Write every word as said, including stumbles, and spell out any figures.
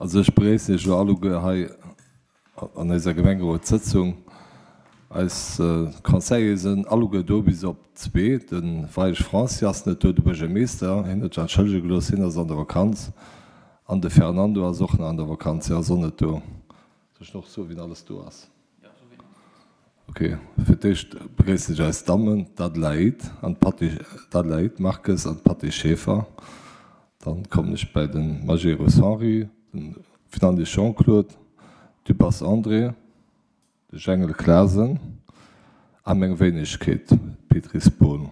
Also ech begréissen Iech elo alleguer hei an eiser Gemengerotssëtzung. Eis Conseillere sinn alleguer do, bis op zwee. De Weidig Francis ass net do, de Buergermeester, hien huet sech entschëllege gelooss, hien ass an der Vakanz. An de Fernando ass och nach an der Vakanz, hien ass och net do. Soll ech nach soen, wien alles do ass? Ok, fir d'éischt begréissen ech eis Dammen, d'Adelaïde an d'Patty, d'Adelaïde Marques an d'Patty Schaeffer. Dann kommen ech bäi de Majerus Henri, de Fernandes Jean-Claude, Dubas André, de Jengel Clasen a meng Wéinegkeet, d'Pétry Spohn.